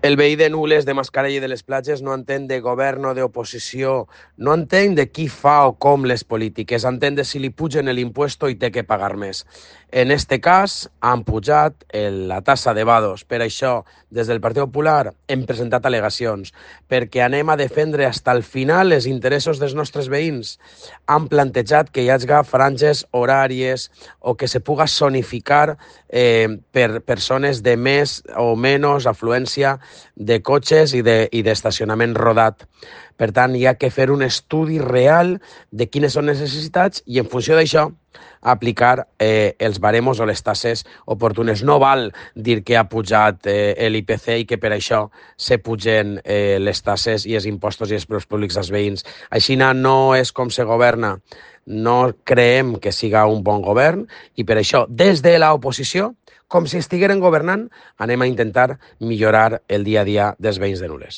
El veí de Nules, de Mascarell i de les Platges no entén de govern o d'oposició, no entén de qui fa o com les polítiques, entén de si li pugen l'impuesto i té que pagar més. En este cas, han pujat la tassa de vados. Per això, des del Partit Popular hem presentat al·legacions, perquè anem a defendre fins al final els interessos dels nostres veïns. Han plantejat que hi hagi franges horàries o que se puga zonificar per persones de més o menys afluència de cotxes i d'estacionament rodat. Per tant, hi ha que fer un estudi real de quines són les necessitats i, en funció d'això, aplicar els baremos o les tasses oportunes. No val dir que ha pujat l'IPC i que per això se pugen les tasses i els impostos i els preus públics als veïns. Així no és com se governa. No creiem que siga un bon govern i per això, des de l'oposició, com si estigueren governant, anem a intentar millorar el dia a dia dels veïns de Nules.